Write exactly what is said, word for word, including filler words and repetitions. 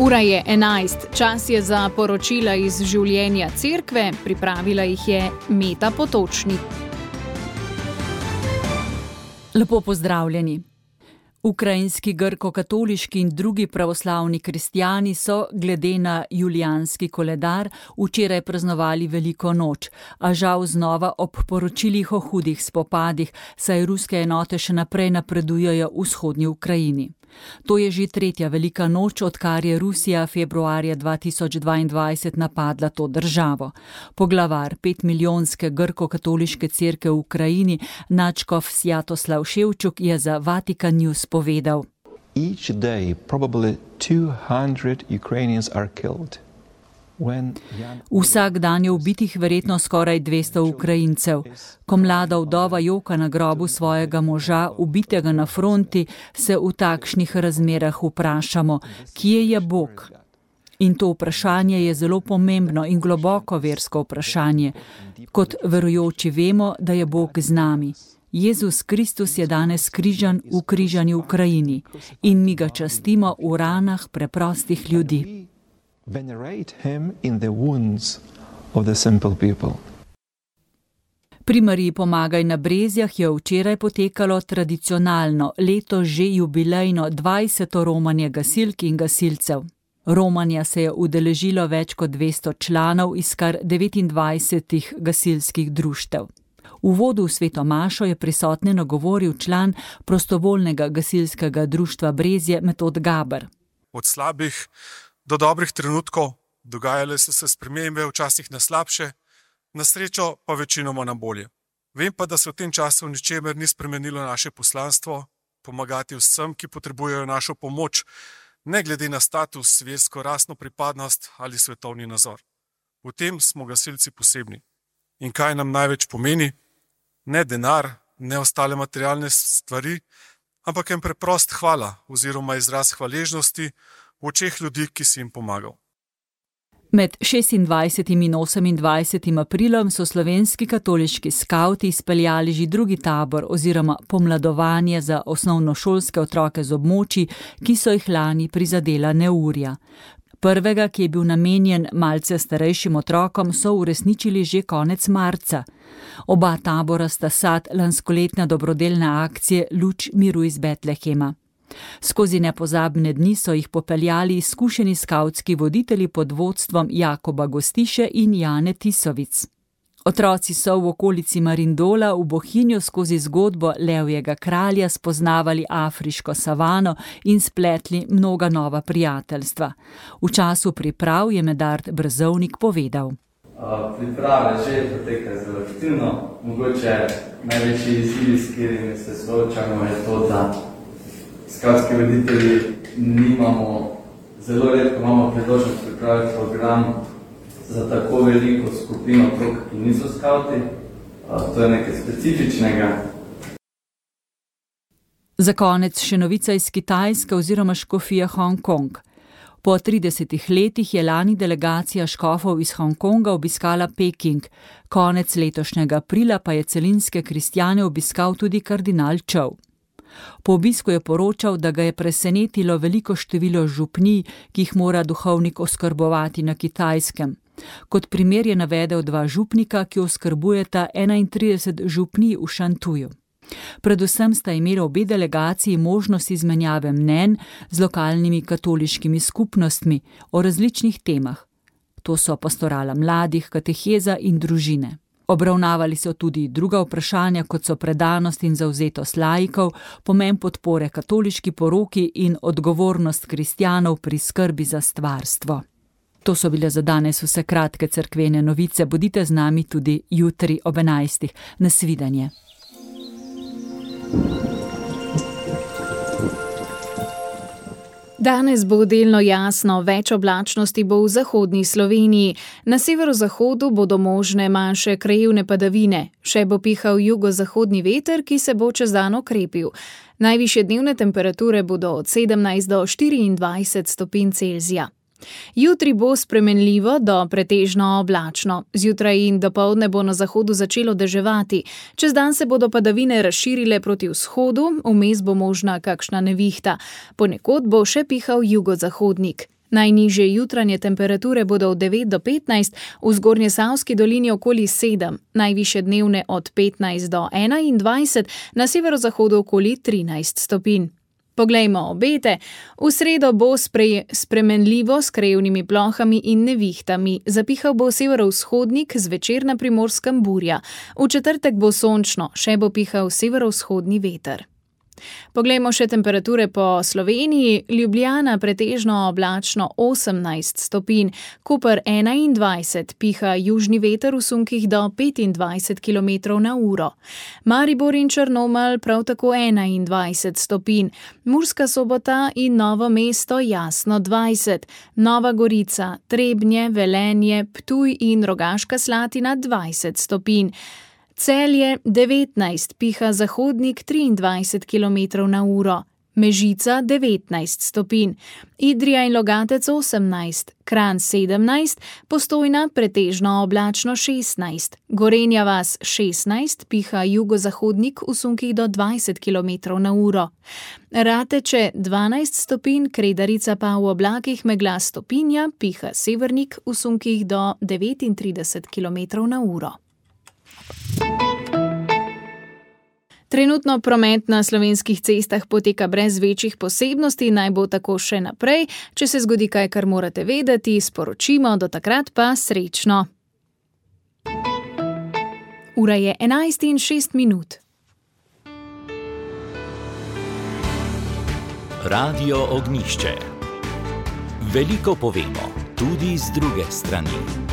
Ura je enajst, čas je za poročila iz življenja cerkve, pripravila jih je Meta Potočnik. Lepo pozdravljeni. Ukrajinski grko-katoliški in drugi pravoslavni kristjani so, glede na julijanski koledar, včeraj praznovali veliko noč, a žal znova ob poročilih o hudih spopadih, saj ruske enote še naprej napredujejo v vzhodni Ukrajini. To je že tretja velika noč, odkar je Rusija februarja dva tisoč dvaindvajset napadla to državo. Poglavar petmilijonske grko-katoliške cerkve v Ukrajini, nadškof Svjatoslav Ševčuk, je za Vatikan News povedal: Each day probably two hundred Ukrainians are killed. Vsak dan je ubitih verjetno skoraj dvesto Ukrajincev. Ko mlada vdova joka na grobu svojega moža, ubitega na fronti, se v takšnih razmerah vprašamo, kje je Bog? In to vprašanje je zelo pomembno in globoko versko vprašanje. Kot verujoči vemo, da je Bog z nami. Jezus Kristus je danes križan v križani Ukrajini in mi ga častimo v ranah preprostih ljudi. Venerate him in the wounds of the simple people. Pri Mariji Pomagaj na Brezjah je včeraj potekalo tradicionalno, letos že jubilejno dvajseto romanje gasilk in gasilcev. Romanja se je udeležilo več kot dvesto članov iz kar devetindvajsetih gasilskih društev. V uvodu v sveto mašo je prisotne nagovoril član prostovoljnega gasilskega društva Brezje Metod Gaber. Od slabih do dobrih trenutkov, dogajale so se spremembe, včasih na slabše, na srečo pa večinoma na bolje. Vem pa, da se v tem času v ničemer ni spremenilo naše poslanstvo, pomagati vsem, ki potrebujejo našo pomoč, ne glede na status, versko, rasno pripadnost ali svetovni nazor. V tem smo gasilci posebni. In kaj nam največ pomeni? Ne denar, ne ostale materialne stvari, ampak en preprost hvala oziroma izraz hvaležnosti v očeh ljudi, ki si jim pomagal. Med šestindvajsetim in osemindvajsetim aprilom so slovenski katoliški skavti izpeljali že drugi tabor oziroma pomladovanje za osnovnošolske otroke z območij, ki so jih lani prizadela neurja. Prvega, ki je bil namenjen malce starejšim otrokom, so uresničili že konec marca. Oba tabora sta sad lanskoletne dobrodelne akcije Luč miru iz Betlehema. Skozi nepozabne dni so jih popeljali izkušeni skavtski voditelji pod vodstvom Jakoba Gostiše in Jane Tisovic. Otroci so v okolici Marindola v Bohinju skozi zgodbo Levjega kralja spoznavali afriško savano in spletli mnoga nova prijateljstva. V času priprav je Medard Brzovnik povedal: Priprave že potekajo zelo aktivno. Mogoče največji izziv, s katerimi se soočamo, je to, da skavtski voditelji nimamo, zelo redko imamo priložnost pripraviti program za tako veliko skupino otrok, ki niso skavti. To je nekaj specifičnega. Za konec še novica iz Kitajske oziroma škofije Hongkong. Po tridesetih letih je lani delegacija škofov iz Hongkonga obiskala Peking. Konec letošnjega aprila pa je celinske kristjane obiskal tudi kardinal Čov. Po obisku je poročal, da ga je presenetilo veliko število župnij, ki jih mora duhovnik oskrbovati na Kitajskem. Kot primer je navedel dva župnika, ki oskrbujeta enaintrideset župnij v Šantuju. Predvsem sta imeli obe delegaciji možnost izmenjave mnenj z lokalnimi katoliškimi skupnostmi o različnih temah. To so pastorala mladih, kateheza in družine. Obravnavali so tudi druga vprašanja, kot so predanost in zavzetost laikov, pomen podpore katoliški poroki in odgovornost kristjanov pri skrbi za stvarstvo. To so bile za danes vse kratke cerkvene novice. Bodite z nami tudi jutri ob enajstih. Nasvidenje. Danes bo delno jasno, več oblačnosti bo v zahodni Sloveniji. Na severozahodu bodo možne manjše krajevne padavine. Še bo pihal jugozahodni veter, ki se bo čez dan okrepil. Najvišje dnevne temperature bodo od sedemnajst do štiriindvajset stopinj Celzija. Jutri bo spremenljivo do pretežno oblačno. Zjutraj in dopoldne bo na zahodu začelo deževati. Čez dan se bodo padavine razširile proti vzhodu, vmes bo možna kakšna nevihta. Ponekod bo še pihal jugozahodnik. Najnižje jutranje temperature bodo od devet do petnajst, v Zgornjesavski dolini okoli sedem, najvišje dnevne od petnajst do enaindvajset, na severozahodu okoli trinajst stopinj. Poglejmo obete. V sredo bo sprej, spremenljivo s krajevnimi plohami in nevihtami. Zapihal bo severovzhodnik, zvečer na Primorskem burja. V četrtek bo sončno, še bo pihal severovzhodni veter. Poglejmo še temperature po Sloveniji. Ljubljana pretežno oblačno osemnajst stopinj, Koper enaindvajset, piha južni veter v sunkih do petindvajset kilometrov na uro. Maribor in Črnomelj prav tako enaindvajset stopinj, Murska Sobota in Novo mesto jasno dvajset, Nova Gorica, Trebnje, Velenje, Ptuj in Rogaška Slatina dvajset stopinj. Celje devetnajst, piha zahodnik triindvajset kilometrov na uro, Mežica devetnajst stopinj, Idrija in Logatec osemnajst, Kranj sedemnajst, Postojna pretežno oblačno šestnajst, Gorenja vas šestnajst, piha jugozahodnik v sunkih do dvajset kilometrov na uro, Rateče dvanajst stopinj, Kredarica pa v oblakih megla stopinja, piha severnik v sunkih do devetintrideset kilometrov na uro. Trenutno promet na slovenskih cestah poteka brez večjih posebnosti, naj bo tako še naprej. Če se zgodi kaj, kar morate vedeti, sporočimo, do takrat pa srečno. Ura je enajst in šest minut. Radio Ognjišče. Veliko povemo, tudi z druge strani.